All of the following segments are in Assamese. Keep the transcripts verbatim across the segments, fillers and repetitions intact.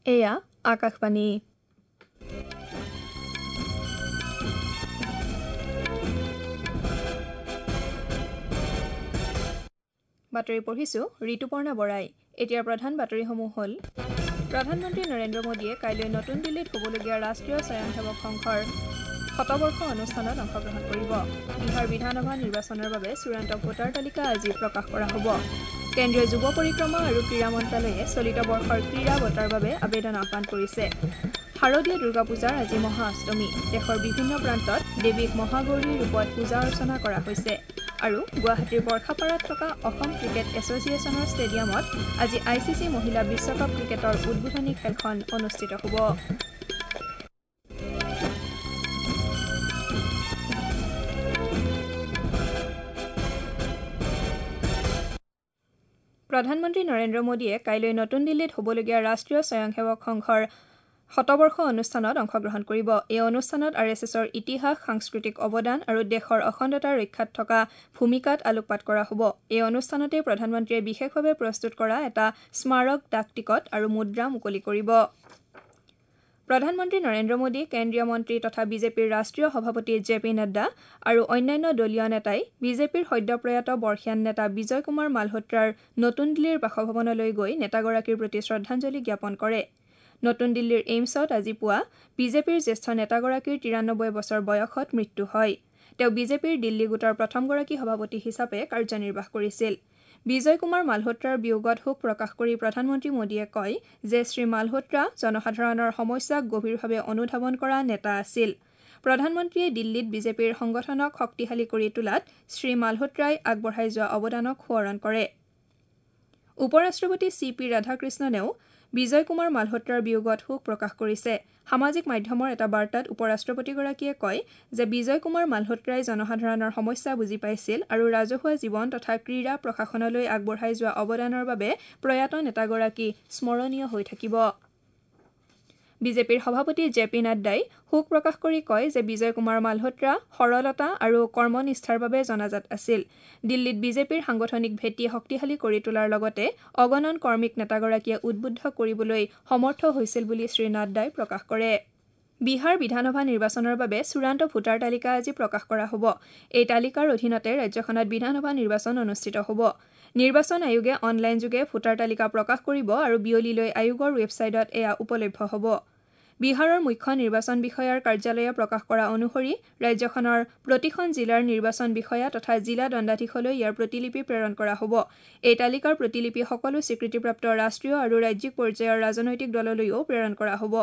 এয়া আকাশবাণী। বাতৰি পঢ়িছো ঋতুপৰ্ণা বৰাই। এতিয়া প্ৰধান বাতৰিসমূহ হ'ল: প্ৰধানমন্ত্ৰী নৰেন্দ্ৰ মোদীয়ে কাইলৈ নতুন দিল্লীত হ'বলগীয়া ৰাষ্ট্ৰীয় স্বয়ংসেৱক সংঘৰ শতবৰ্ষ অনুষ্ঠানত অংশগ্ৰহণ কৰিব। বিহাৰ বিধানসভা নিৰ্বাচনৰ বাবে চূড়ান্ত ভোটাৰ তালিকা আজি প্ৰকাশ কৰা হ'ব। কেন্দ্ৰীয় যুৱ পৰিক্ৰমা আৰু ক্ৰীড়া মন্ত্ৰালয়ে চলিত বৰ্ষৰ ক্ৰীড়া বঁটাৰ বাবে আবেদন আহ্বান কৰিছে। শাৰদীয় দুৰ্গা পূজাৰ আজি মহা অষ্টমী। দেশৰ বিভিন্ন প্ৰান্তত দেৱীক মহাগৌৰীৰ ৰূপত পূজা অৰ্চনা কৰা হৈছে। আৰু গুৱাহাটীৰ বৰ্ষাপাৰাত থকা অসম ক্ৰিকেট এছ'চিয়েশ্যনৰ ষ্টেডিয়ামত আজি I C C মহিলা বিশ্বকাপ ক্ৰিকেটৰ উদ্বোধনী খেলখন অনুষ্ঠিত হ'ব। প্ৰধানমন্ত্ৰী নৰেন্দ্ৰ মোদীয়ে কাইলৈ নতুন দিল্লীত হ'বলগীয়া ৰাষ্ট্ৰীয় স্বয়ংসেৱক সংঘৰ শতবৰ্ষ অনুষ্ঠানত অংশগ্ৰহণ কৰিব। এই অনুষ্ঠানত আৰ এছ এছৰ ইতিহাস, সাংস্কৃতিক অৱদান আৰু দেশৰ অখণ্ডতা ৰক্ষাত থকা ভূমিকাত আলোকপাত কৰা হ'ব। এই অনুষ্ঠানতে প্ৰধানমন্ত্ৰীয়ে বিশেষভাৱে প্ৰস্তুত কৰা এটা স্মাৰক ডাক টিকট আৰু মুদ্ৰা মুকলি কৰিব। প্ৰধানমন্ত্ৰী নৰেন্দ্ৰ মোদী, কেন্দ্ৰীয় মন্ত্ৰী তথা বিজেপিৰ ৰাষ্ট্ৰীয় সভাপতি জে পি নাড্ডা আৰু অন্যান্য দলীয় নেতাই বিজেপিৰ সদ্যপ্ৰয়াত বৰ্ষীয়ান নেতা বিজয় কুমাৰ মালহোত্ৰাৰ নতুন দিল্লীৰ বাসভৱনলৈ গৈ নেতাগৰাকীৰ প্ৰতি শ্ৰদ্ধাঞ্জলি জ্ঞাপন কৰে। নতুন দিল্লীৰ এইমছত আজি পুৱা বিজেপিৰ জ্যেষ্ঠ নেতাগৰাকীৰ তিৰানব্বৈ বছৰ বয়সত মৃত্যু হয়। তেওঁ বিজেপিৰ দিল্লী গোটৰ প্ৰথমগৰাকী সভাপতি হিচাপে কাৰ্যনিৰ্বাহ কৰিছিল। বিজয় কুমাৰ মালহোত্ৰাৰ বিয়োগত শোক প্ৰকাশ কৰি প্ৰধানমন্ত্ৰী মোদীয়ে কয় যে শ্ৰীমালহোত্ৰা জনসাধাৰণৰ সমস্যাক গভীৰভাৱে অনুধাৱন কৰা নেতা আছিল। প্ৰধানমন্ত্ৰীয়ে দিল্লীত বিজেপিৰ সংগঠনক শক্তিশালী কৰি তোলাত শ্ৰীমালহোত্ৰাই আগবঢ়াই যোৱা অৱদানক সোঁৱৰণ কৰে। উপ ৰাষ্ট্ৰপতি চি পি ৰাধাকৃষ্ণনেও বিজয় কুমাৰ মালহোত্ৰাৰ বিয়োগত শোক প্ৰকাশ কৰিছে। সামাজিক মাধ্যমৰ এটা বাৰ্তাত উপ ৰাষ্ট্ৰপতিগৰাকীয়ে কয় যে বিজয় কুমাৰ মালহোত্ৰাই জনসাধাৰণৰ সমস্যা বুজি পাইছিল আৰু ৰাজহুৱা জীৱন তথা ক্ৰীড়া প্ৰশাসনলৈ আগবঢ়াই যোৱা অৱদানৰ বাবে প্ৰয়াত নেতাগৰাকী স্মৰণীয় হৈ থাকিব। বিজেপিৰ সভাপতি জে পি নাড্ডাই শোক প্ৰকাশ কৰি কয় যে বিজয় কুমাৰ মালহোত্ৰা সৰলতা আৰু কৰ্মনিষ্ঠাৰ বাবে জনাজাত আছিল। দিল্লীত বিজেপিৰ সাংগঠনিক ভেটি শক্তিশালী কৰি তোলাৰ লগতে অগণন কৰ্মীক নেতাগৰাকীয়ে উদ্বুদ্ধ কৰিবলৈ সমৰ্থ হৈছিল বুলি শ্ৰীনাড্ডাই প্ৰকাশ কৰে। বিহাৰ বিধানসভা নিৰ্বাচনৰ বাবে চূড়ান্ত ভোটাৰ তালিকা আজি প্ৰকাশ কৰা হ'ব। এই তালিকাৰ অধীনতে ৰাজ্যখনত বিধানসভা নিৰ্বাচন অনুষ্ঠিত হ'ব। নিৰ্বাচন আয়োগে অনলাইনযোগে ভোটাৰ তালিকা প্ৰকাশ কৰিব আৰু বিয়লিলৈ আয়োগৰ ৱেবছাইটত এয়া উপলভ্য হ'ব। বিহাৰৰ মুখ্য নিৰ্বাচন বিষয়াৰ কাৰ্যালয়ে প্ৰকাশ কৰা অনুসৰি ৰাজ্যখনৰ প্ৰতিখন জিলাৰ নিৰ্বাচন বিষয়া তথা জিলা দণ্ডাধীশলৈ ইয়াৰ প্ৰতিলিপি প্ৰেৰণ কৰা হ'ব। এই তালিকাৰ প্ৰতিলিপি সকলো স্বীকৃতিপ্ৰাপ্ত ৰাষ্ট্ৰীয় আৰু ৰাজ্যিক পৰ্যায়ৰ ৰাজনৈতিক দললৈও প্ৰেৰণ কৰা হ'ব।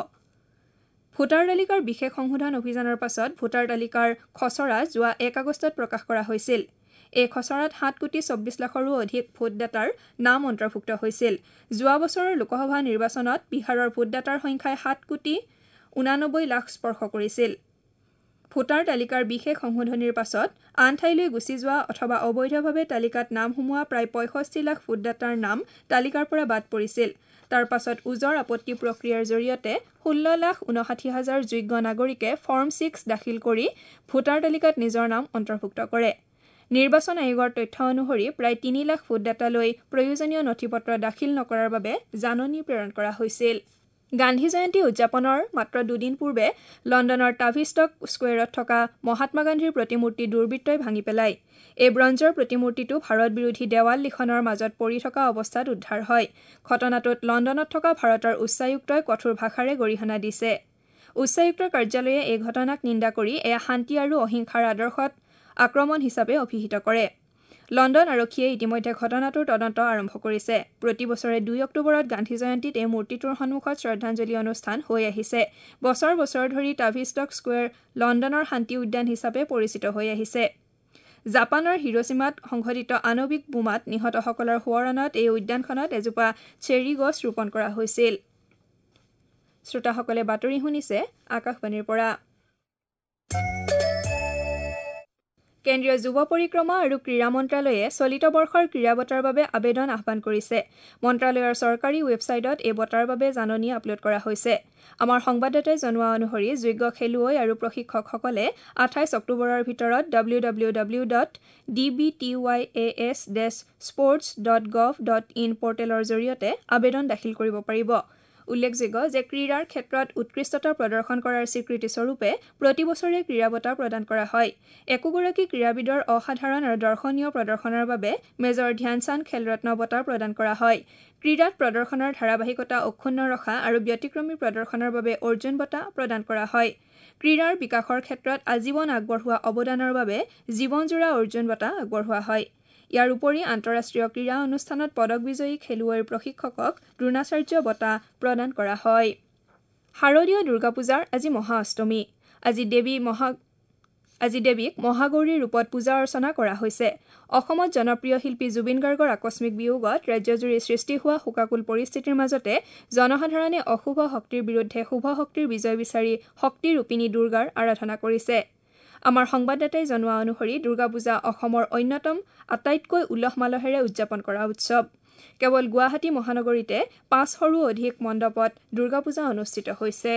ভোটাৰ তালিকাৰ বিশেষ সংশোধন অভিযানৰ পাছত ভোটাৰ তালিকাৰ খচৰা যোৱা এক আগষ্টত প্ৰকাশ কৰা হৈছিল। এই খচৰাত সাত কোটি চৌব্বিছ লাখৰো অধিক ভোটদাতাৰ নাম অন্তৰ্ভুক্ত হৈছিল। যোৱা বছৰৰ লোকসভা নিৰ্বাচনত বিহাৰৰ ভোটদাতাৰ সংখ্যাই সাত কোটি ঊনানব্বৈ লাখ স্পৰ্শ কৰিছিল। ভোটাৰ তালিকাৰ বিশেষ সংশোধনীৰ পাছত আন ঠাইলৈ গুচি যোৱা অথবা অবৈধভাৱে তালিকাত নাম সোমোৱা প্ৰায় পঁয়ষষ্ঠি লাখ ভোটদাতাৰ নাম তালিকাৰ পৰা বাদ পৰিছিল। তাৰ পাছত ওজৰ আপত্তি প্ৰক্ৰিয়াৰ জৰিয়তে ষোল্ল লাখ ঊনষাঠি হাজাৰ যোগ্য নাগৰিকে ফৰ্ম ছিক্স দাখিল কৰি ভোটাৰ তালিকাত নিজৰ নাম অন্তৰ্ভুক্ত কৰে। নিৰ্বাচন আয়োগৰ তথ্য অনুসৰি প্ৰায় তিনি লাখ ভোটদাতালৈ প্ৰয়োজনীয় নথি পত্ৰ দাখিল নকৰাৰ বাবে জাননী প্ৰেৰণ কৰা হৈছিল। গান্ধী জয়ন্তী উদযাপনৰ মাত্ৰ দুদিন পূৰ্বে লণ্ডনৰ টাভিষ্টক স্কুৱেৰত থকা মহাত্মা গান্ধীৰ প্ৰতিমূৰ্তি দুৰ্বৃত্তই ভাঙি পেলায়। এই ব্ৰঞ্জৰ প্ৰতিমূৰ্তিটো ভাৰত বিৰোধী দেৱাল লিখনৰ মাজত পৰি থকা অৱস্থাত উদ্ধাৰ হয়। ঘটনাটোত লণ্ডনত থকা ভাৰতৰ উচ্চায়ুক্তই কঠোৰ ভাষাৰে গৰিহণা দিছে। উচ্চায়ুক্তৰ কাৰ্যালয়ে এই ঘটনাক নিন্দা কৰি এয়া শান্তি আৰু অহিংসাৰ আদৰ্শত আক্ৰমণ হিচাপে অভিহিত কৰে। লণ্ডন আৰক্ষীয়ে ইতিমধ্যে ঘটনাটোৰ তদন্ত আৰম্ভ কৰিছে। প্ৰতি বছৰে দুই অক্টোবৰত গান্ধী জয়ন্তীত এই মূৰ্তিটোৰ সন্মুখত শ্ৰদ্ধাঞ্জলি অনুষ্ঠান হৈ আহিছে। বছৰ বছৰ ধৰি টাভিষ্টক স্কুৱেৰ লণ্ডনৰ শান্তি উদ্যান হিচাপে পৰিচিত হৈ আহিছে। জাপানৰ হিৰোছিমাত সংঘটিত আণৱিক বোমাত নিহতসকলৰ সোঁৱৰণত এই উদ্যানখনত এজোপা চেৰী গছ ৰোপণ কৰা হৈছিল। শ্ৰোতাসকলে বাতৰি শুনিছে আকাশবাণীৰ পৰা। কেন্দ্ৰীয় যুৱ পৰিক্ৰমা আৰু ক্ৰীড়া মন্ত্ৰালয়ে চলিত বৰ্ষৰ ক্ৰীড়া বঁটাৰ বাবে আবেদন আহ্বান কৰিছে। মন্ত্ৰালয়ৰ চৰকাৰী ৱেবছাইটত এই বঁটাৰ বাবে জাননী আপলোড কৰা হৈছে। আমাৰ সংবাদদাতাই জনোৱা অনুসৰি যোগ্য খেলুৱৈ আৰু প্ৰশিক্ষকসকলে আঠাইছ অক্টোবৰৰ ভিতৰত W W W dot D B T Y A S dash sports dot gov dot in পৰ্টেলৰ জৰিয়তে আবেদন দাখিল কৰিব পাৰিব। উল্লেখযোগ্য যে ক্ৰীড়াৰ ক্ষেত্ৰত উৎকৃষ্টতা প্ৰদৰ্শন কৰাৰ স্বীকৃতিস্বৰূপে প্ৰতি বছৰে ক্ৰীড়া বঁটা প্ৰদান কৰা হয়। একোগৰাকী ক্ৰীড়াবিদৰ অসাধাৰণ আৰু দৰ্শনীয় প্ৰদৰ্শনৰ বাবে মেজৰ ধ্যানচান্দ খেলৰত্ন বঁটা প্ৰদান কৰা হয়। ক্ৰীড়াত প্ৰদৰ্শনৰ ধাৰাবাহিকতা অক্ষুণ্ণ ৰখা আৰু ব্যতিক্ৰমী প্ৰদৰ্শনৰ বাবে অৰ্জুন বঁটা প্ৰদান কৰা হয়। ক্ৰীড়াৰ বিকাশৰ ক্ষেত্ৰত আজীৱন আগবঢ়োৱা অৱদানৰ বাবে জীৱনজোৰা অৰ্জুন বঁটা আগবঢ়োৱা হয়। ইয়াৰ উপৰি আন্তঃৰাষ্ট্ৰীয় ক্ৰীড়া অনুষ্ঠানত পদক বিজয়ী খেলুৱৈৰ প্ৰশিক্ষকক দ্ৰোণাচাৰ্য বঁটা প্ৰদান কৰা হয়। শাৰদীয় দুৰ্গা পূজাৰ আজি মহা অষ্টমী। আজি দেৱী মহা আজি দেৱীক মহাগৌৰীৰ ৰূপত পূজা অৰ্চনা কৰা হৈছে। অসমত জনপ্ৰিয় শিল্পী জুবিন গাৰ্গৰ আকস্মিক বিয়োগত ৰাজ্যজুৰি সৃষ্টি হোৱা শোকাকুল পৰিস্থিতিৰ মাজতে জনসাধাৰণে অশুভ শক্তিৰ বিৰুদ্ধে শুভ শক্তিৰ বিজয় বিচাৰি শক্তিৰূপিণী দুৰ্গাৰ আৰাধনা কৰিছে। আমাৰ সংবাদদাতাই জনোৱা অনুসৰি দুৰ্গা পূজা অসমৰ অন্যতম আটাইতকৈ উলহ মালহেৰে উদযাপন কৰা উৎসৱ। কেৱল গুৱাহাটী মহানগৰীতে পাঁচশৰো অধিক মণ্ডপত দুৰ্গা পূজা অনুষ্ঠিত হৈছে।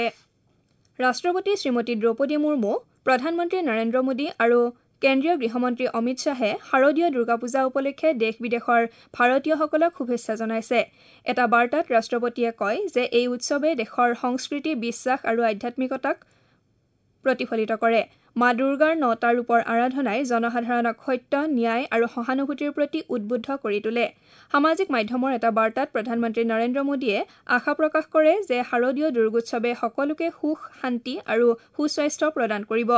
ৰাষ্ট্ৰপতি শ্ৰীমতী দ্ৰৌপদী মুৰ্মু, প্ৰধানমন্ত্ৰী নৰেন্দ্ৰ মোদী আৰু কেন্দ্ৰীয় গৃহমন্ত্ৰী অমিত শ্বাহে শাৰদীয় দুৰ্গা পূজা উপলক্ষে দেশ বিদেশৰ ভাৰতীয়সকলক শুভেচ্ছা জনাইছে। এটা বাৰ্তাত ৰাষ্ট্ৰপতিয়ে কয় যে এই উৎসৱে দেশৰ সংস্কৃতি, বিশ্বাস আৰু আধ্যাত্মিকতাক প্ৰতিফলিত কৰে। মা দুৰ্গাৰ নটা ৰূপৰ আৰাধনাই জনসাধাৰণক সত্য, ন্যায় আৰু সহানুভূতিৰ প্ৰতি উদ্বুদ্ধ কৰি তোলে। সামাজিক মাধ্যমৰ এটা বাৰ্তাত প্ৰধানমন্ত্ৰী নৰেন্দ্ৰ মোদীয়ে আশা প্ৰকাশ কৰে যে শাৰদীয় দুৰ্গোৎসৱে সকলোকে সুখ, শান্তি আৰু সুস্বাস্থ্য প্ৰদান কৰিব।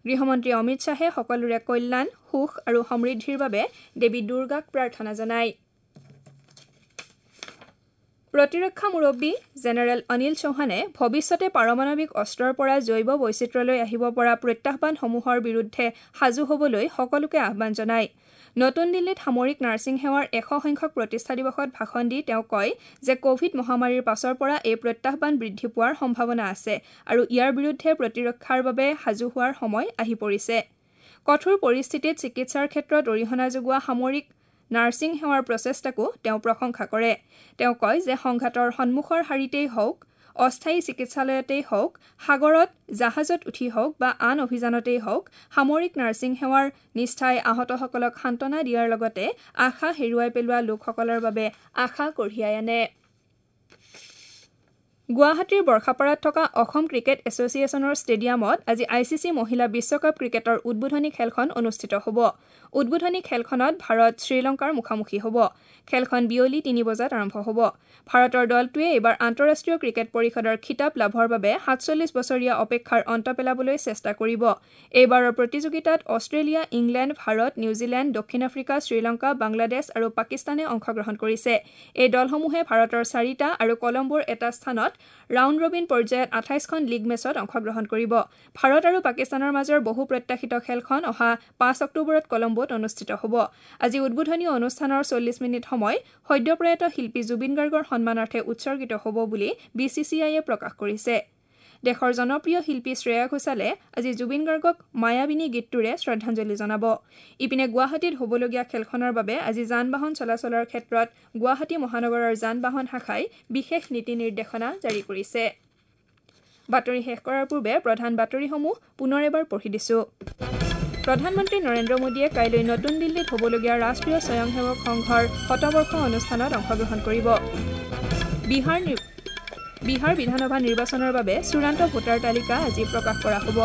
গৃহমন্ত্ৰী অমিত শ্বাহে সকলোৰে কল্যাণ, সুখ আৰু সমৃদ্ধিৰ বাবে দেৱী দুৰ্গাক প্ৰাৰ্থনা জনায়। প্ৰতিৰক্ষা মুৰব্বী জেনেৰেল অনিল চৌহানে ভৱিষ্যতে পাৰমাণৱিক অস্ত্ৰৰ পৰা জৈৱ বৈচিত্ৰ্যলৈ আহিব পৰা প্ৰত্যাহ্বানসমূহৰ বিৰুদ্ধে সাজু হ'বলৈ সকলোকে আহ্বান জনায়। নতুন দিল্লীত সামৰিক নাৰ্ছিং সেৱাৰ এশ সংখ্যক প্ৰতিষ্ঠা দিৱসত ভাষণ দি তেওঁ কয় যে কভিড মহামাৰীৰ পাছৰ পৰা এই প্ৰত্যাহ্বান বৃদ্ধি পোৱাৰ সম্ভাৱনা আছে আৰু ইয়াৰ বিৰুদ্ধে প্ৰতিৰক্ষাৰ বাবে সাজু হোৱাৰ সময় আহি পৰিছে। কঠোৰ পৰিস্থিতিত চিকিৎসাৰ ক্ষেত্ৰত অৰিহণা যোগোৱা সামৰিক নাৰ্ছিং সেৱাৰ প্ৰচেষ্টাকো তেওঁ প্ৰশংসা কৰে। তেওঁ কয় যে সংঘাতৰ সন্মুখৰ শাৰীতেই হওক, অস্থায়ী চিকিৎসালয়তেই হওক, সাগৰত জাহাজত উঠি হওক বা আন অভিযানতেই হওক, সামৰিক নাৰ্ছিং সেৱাৰ নিষ্ঠাই আহতসকলক সান্ত্বনা দিয়াৰ লগতে আশা হেৰুৱাই পেলোৱা লোকসকলৰ বাবে আশা কঢ়িয়াই আনে। গুৱাহাটীৰ বৰ্ষাপাৰাত থকা অসম ক্ৰিকেট এছ'চিয়েশ্যনৰ ষ্টেডিয়ামত আজি I C C মহিলা বিশ্বকাপ ক্ৰিকেটৰ উদ্বোধনী খেলখন অনুষ্ঠিত হ'ব। উদ্বোধনী খেলখনত ভাৰত শ্ৰীলংকাৰ মুখামুখি হ'ব। খেলখন বিয়লি তিনি বজাত আৰম্ভ হ'ব। ভাৰতৰ দলটোৱে এইবাৰ আন্তঃৰাষ্ট্ৰীয় ক্ৰিকেট পৰিষদৰ খিতাপ লাভৰ বাবে সাতচল্লিছ বছৰীয়া অপেক্ষাৰ অন্ত পেলাবলৈ চেষ্টা কৰিব। এইবাৰৰ প্ৰতিযোগিতাত অষ্ট্ৰেলিয়া, ইংলেণ্ড, ভাৰত, নিউজিলেণ্ড, দক্ষিণ আফ্ৰিকা, শ্ৰীলংকা, বাংলাদেশ আৰু পাকিস্তানে অংশগ্ৰহণ কৰিছে। এই দলসমূহে ভাৰতৰ চাৰিটা আৰু কলম্বোৰ এটা স্থানত ৰাউণ্ড ৰবিন পৰ্যায়ত আঠাইছখন লীগ মেচত অংশগ্ৰহণ কৰিব। ভাৰত আৰু পাকিস্তানৰ মাজৰ বহু প্ৰত্যাশিত খেলখন অহা পাঁচ অক্টোবৰত কলম্বোত অনুষ্ঠিত হ'ব। আজি উদ্বোধনী অনুষ্ঠানৰ চল্লিছ মিনিট সময় সদ্যপ্ৰয়াত শিল্পী জুবিন গাৰ্গৰ সন্মানাৰ্থে উৎসৰ্গিত হ'ব বুলি বি চি চি আইয়ে প্ৰকাশ কৰিছে। দেশৰ জনপ্ৰিয় শিল্পী শ্ৰেয়া ঘোষালে আজি জুবিন গাৰ্গক মায়াবিনী গীতটোৰে শ্ৰদ্ধাঞ্জলি জনাব। ইপিনে গুৱাহাটীত হ'বলগীয়া খেলখনৰ বাবে আজি যান বাহন চলাচলৰ ক্ষেত্ৰত গুৱাহাটী মহানগৰৰ যান বাহন শাখাই বিশেষ নীতি নিৰ্দেশনা জাৰি কৰিছে। বাতৰি শেষ কৰাৰ পূৰ্বে প্ৰধান বাতৰিসমূহ পুনৰ এবাৰ পঢ়ি দিছোঁ। প্ৰধানমন্ত্ৰী নৰেন্দ্ৰ মোদীয়ে কাইলৈ নতুন দিল্লীত হ'বলগীয়া ৰাষ্ট্ৰীয় স্বয়ংসেৱক সংঘৰ শতবৰ্ষ অনুষ্ঠানত অংশগ্ৰহণ কৰিব। বিহাৰ বিহাৰ বিধানসভা নিৰ্বাচনৰ বাবে চূড়ান্ত ভোটাৰ তালিকা আজি প্ৰকাশ কৰা হ'ব।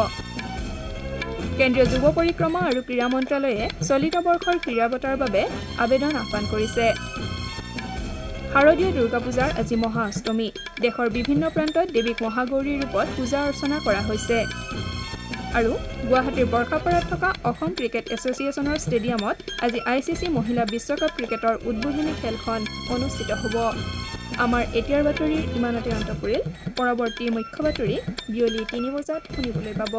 কেন্দ্ৰীয় যুৱ পৰিক্ৰমা আৰু ক্ৰীড়া মন্ত্ৰালয়ে চলিত বৰ্ষৰ ক্ৰীড়া বঁটাৰ বাবে আবেদন আহ্বান কৰিছে। শাৰদীয় দুৰ্গা পূজাৰ আজি মহা অষ্টমী। দেশৰ বিভিন্ন প্ৰান্তত দেৱীক মহাগৌৰীৰ ৰূপত পূজা অৰ্চনা কৰা হৈছে। আৰু গুৱাহাটীৰ বৰ্ষাপাৰাত থকা অসম ক্ৰিকেট এছ'চিয়েশ্যনৰ ষ্টেডিয়ামত আজি I C C মহিলা বিশ্বকাপ ক্ৰিকেটৰ উদ্বোধনী খেলখন অনুষ্ঠিত হ'ব। আমাৰ এতিয়াৰ বাতৰিৰ ইমানতে অন্ত পৰিল। পৰৱৰ্তী মুখ্য বাতৰি বিয়লি তিনি বজাত শুনিবলৈ পাব।